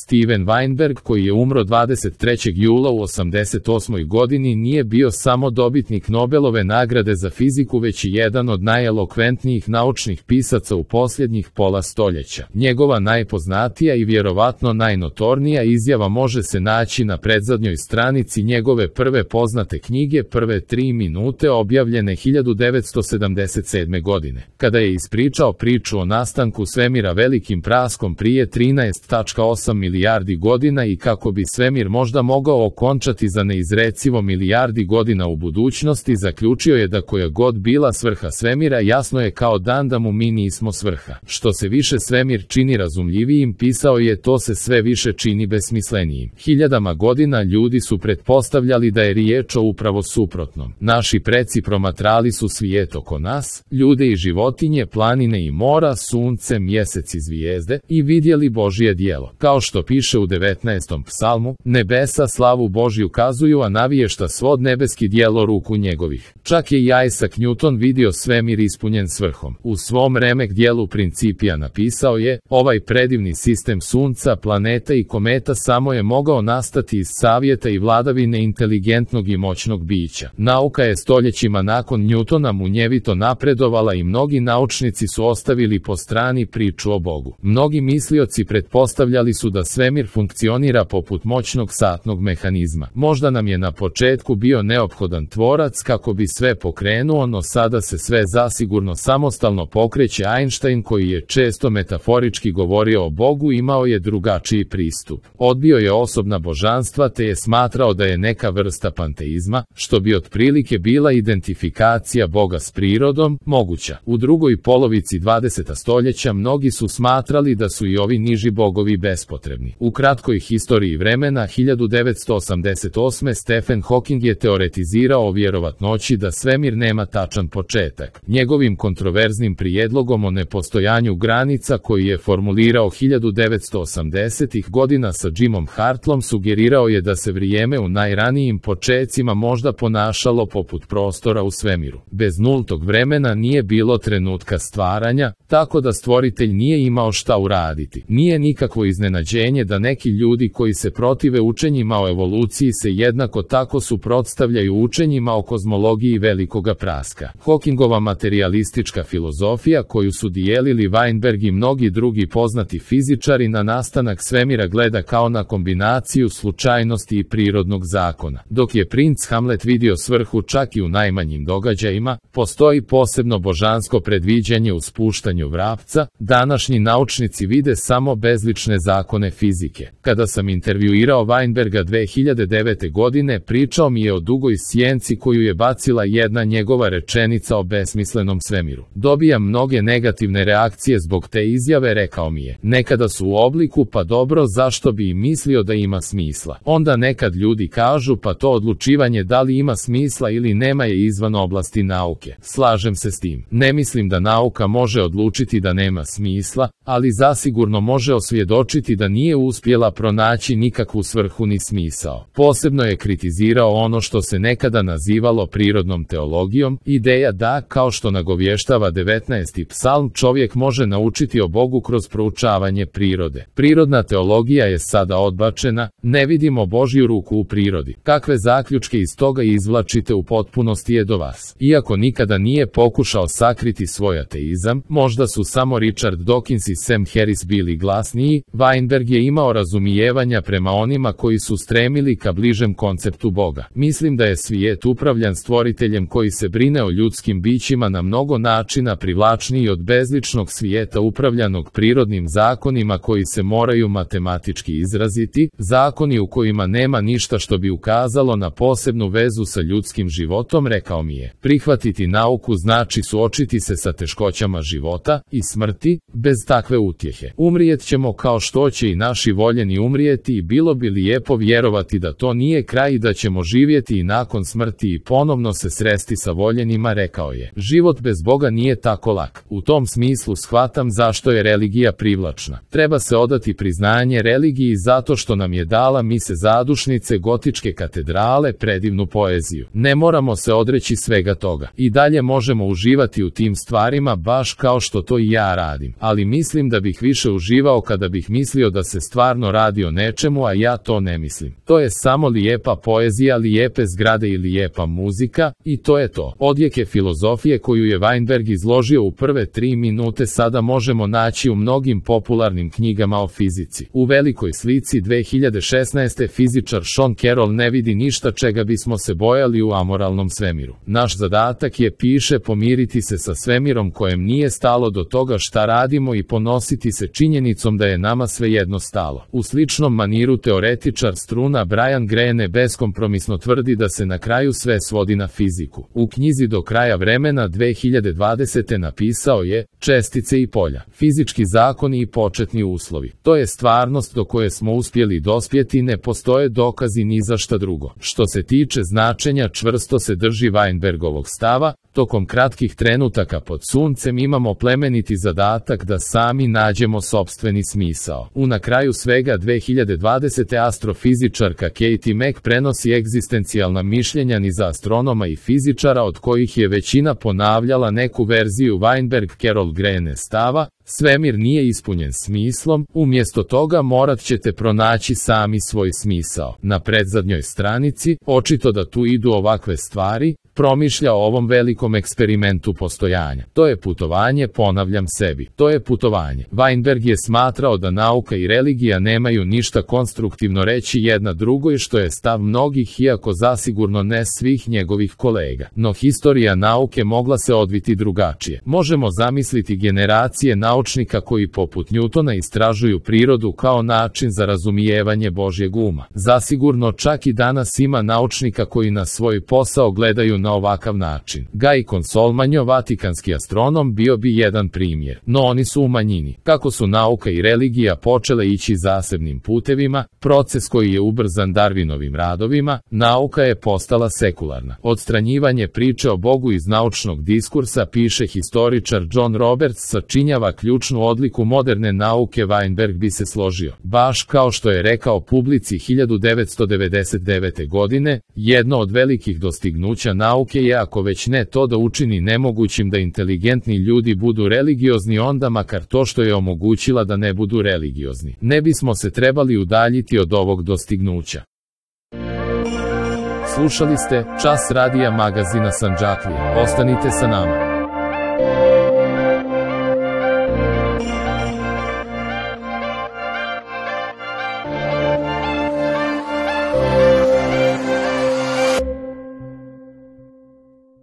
Steven Weinberg, koji je umro 23. jula u 88. godini, nije bio samo dobitnik Nobelove nagrade za fiziku, već i jedan od najelokventnijih naučnih pisaca u posljednjih pola stoljeća. Njegova najpoznatija i vjerovatno najnotornija izjava može se naći na predzadnjoj stranici njegove prve poznate knjige Prve 3 minute, objavljene 1977. godine. Kada je ispričao priču o nastanku svemira velikim praskom prije 13,8 milijardi godina i kako bi svemir možda mogao okončati za neizrecivo milijardi godina u budućnosti, zaključio je da koja god bila svrha svemira, jasno je kao dan da mu mi nismo svrha. Što se više svemir čini razumljivijim, pisao je, to se sve više čini besmislenijim. Hiljadama godina ljudi su pretpostavljali da je riječ o upravo suprotnom. Naši preci promatrali su svijet oko nas, ljude i životinje, planine i mora, sunce, mjesec i zvijezde, i vidjeli Božje djelo. Kao što piše u 19. psalmu, nebesa slavu Božju kazuju, a naviješta svod nebeski djelo ruku njegovih. Čak je i Isaac Newton vidio svemir ispunjen svrhom. U svom remek djelu Principia napisao je, ovaj predivni sistem sunca, planeta i kometa samo je mogao nastati iz savjeta i vladavine inteligentnog i moćnog bića. Nauka je stoljećima nakon Newtona munjevito napredovala i mnogi naučnici su ostavili po strani priču o Bogu. Mnogi mislioci pretpostavljali su da svemir funkcionira poput moćnog satnog mehanizma. Možda nam je na početku bio neophodan tvorac kako bi sve pokrenuo, no sada se sve zasigurno samostalno pokreće. Einstein, koji je često metaforički govorio o Bogu, imao je drugačiji pristup. Odbio je osobna božanstva te je smatrao da je neka vrsta panteizma, što bi otprilike bila identifikacija Boga s prirodom, moguća. U drugoj polovici 20. stoljeća mnogi su smatrali da su i ovi niži bogovi bespotrebni. U kratkoj historiji vremena 1988. Stephen Hawking je teoretizirao o vjerovatnoći da svemir nema tačan početak. Njegovim kontroverznim prijedlogom o nepostojanju granica, koji je formulirao 1980. godina sa Jimom Hartlom, sugerirao je da se vrijeme u najranijim počecima možda ponašalo poput prostora u svemiru. Bez nultog vremena nije bilo trenutka stvaranja, tako da stvoritelj nije imao šta uraditi. Nije nikakvo iznenađenje da neki ljudi koji se protive učenjima o evoluciji se jednako tako suprotstavljaju učenjima o kozmologiji velikoga praska. Hawkingova materialistička filozofija, koju su dijelili Weinberg i mnogi drugi poznati fizičari, na nastanak svemira gleda kao na kombinaciju slučajnosti i prirodnog zakona. Dok je princ Hamlet vidio svrhu čak i u najmanjim događajima, postoji posebno božansko predviđanje u spuštanju vrapca, današnji naučnici vide samo bezlične zakone fizike. Kada sam intervjuirao Weinberga 2009. godine, pričao mi je o dugoj sjenci koju je bacila jedna njegova rečenica o besmislenom svemiru. Dobijam mnoge negativne reakcije zbog te izjave, rekao mi je. Nekada su u obliku, pa dobro, zašto bi i mislio da ima smisla. Onda nekad ljudi kažu, pa to odlučivanje da li ima smisla ili nema je izvan oblasti nauke. Slažem se s tim. Ne mislim da nauka može odlučiti da nema smisla, ali zasigurno može osvjedočiti da nije uspjela pronaći nikakvu svrhu ni smisao. Posebno je kritizirao ono što se nekada nazivalo prirodnom teologijom, ideja da, kao što nagovještava 19. psalm, čovjek može naučiti o Bogu kroz proučavanje prirode. Prirodna teologija je sada odbačena, ne vidimo Božju ruku u prirodi. Kakve zaključke iz toga izvlačite u potpunosti je do vas. Iako nikada nije pokušao sakriti svoj ateizam, možda su samo Richard Dawkins i Sam Harris bili glasniji, Weinberg je imao razumijevanja prema onima koji su stremili ka bližem konceptu Boga. Mislim da je svijet upravljan stvoriteljem koji se brine o ljudskim bićima na mnogo načina privlačniji od bezličnog svijeta upravljanog prirodnim zakonima koji se moraju matematički izraziti, zakoni u kojima nema ništa što bi ukazalo na posebnu vezu sa ljudskim životom, rekao mi je. Prihvatiti nauku znači suočiti se sa teškoćama života i smrti, bez takve utjehe. Umrijet ćemo kao što će i naši voljeni umrijeti i bilo bi lijepo vjerovati da to nije kraj i da ćemo živjeti i nakon smrti i ponovno se sresti sa voljenima, rekao je. Život bez Boga nije tako lak. U tom smislu shvatam zašto je religija privlačna. Treba se odati priznanje religiji zato što nam je dala mise zadušnice, gotičke katedrale, predivnu poeziju. Ne moramo se odreći svega toga. I dalje možemo uživati u tim stvarima baš kao što to i ja radim. Ali mislim da bih više uživao kada bih mislio da se stvarno radi o nečemu, a ja to ne mislim. To je samo lijepa poezija, lijepe zgrade i lijepa muzika, i to je to. Odjeke filozofije koju je Weinberg izložio u prve 3 minute sada možemo naći u mnogim popularnim knjigama o fizici. U velikoj slici 2016. fizičar Sean Carroll ne vidi ništa čega bismo se bojali u amoralnom svemiru. Naš zadatak je, piše, pomiriti se sa svemirom kojem nije stalo do toga šta radimo i ponositi se činjenicom da je nama svejedno stalo. U sličnom maniru teoretičar struna Brian Greene beskompromisno tvrdi da se na kraju sve svodi na fiziku. U knjizi Do kraja vremena 2020. napisao je: čestice i polja, fizički zakoni i početni uslovi. To je stvarnost do koje smo uspjeli dospjeti, ne postoje dokazi ni za šta drugo. Što se tiče značenja, čvrsto se drži Weinbergovog stava. Tokom kratkih trenutaka pod suncem imamo plemeniti zadatak da sami nađemo sopstveni smisao. Na kraju svega 2020. astrofizičarka Katie Mack prenosi egzistencijalna mišljenja niza astronoma i fizičara, od kojih je većina ponavljala neku verziju Weinberg-Carroll-Greene stava: svemir nije ispunjen smislom, umjesto toga morat ćete pronaći sami svoj smisao. Na predzadnjoj stranici, očito da tu idu ovakve stvari, promišlja o ovom velikom eksperimentu postojanja. To je putovanje, ponavljam sebi, to je putovanje. Weinberg je smatrao da nauka i religija nemaju ništa konstruktivno reći jedna drugoj, što je stav mnogih, iako zasigurno ne svih njegovih kolega. No historija nauke mogla se odviti drugačije. Možemo zamisliti generacije naučnika koji poput Newtona istražuju prirodu kao način za razumijevanje Božjeg uma. Zasigurno čak i danas ima naučnika koji na svoj posao gledaju na ovakav način. Guy Consolmagno, vatikanski astronom, bio bi jedan primjer, no oni su u manjini. Kako su nauka i religija počele ići zasebnim putevima, proces koji je ubrzan Darwinovim radovima, nauka je postala sekularna. Odstranjivanje priče o Bogu iz naučnog diskursa, piše historičar John Roberts, sačinjava ključnu odliku moderne nauke. Weinberg bi se složio. Baš kao što je rekao publici 1999. godine, jedno od velikih dostignuća nauke je, ako već ne to, da učini nemogućim da inteligentni ljudi budu religiozni, onda makar to što je omogućila da ne budu religiozni. Ne bismo se trebali udaljiti od ovog dostignuća. Slušali ste Čas radija magazina Sandžaklije. Ostanite sa nama.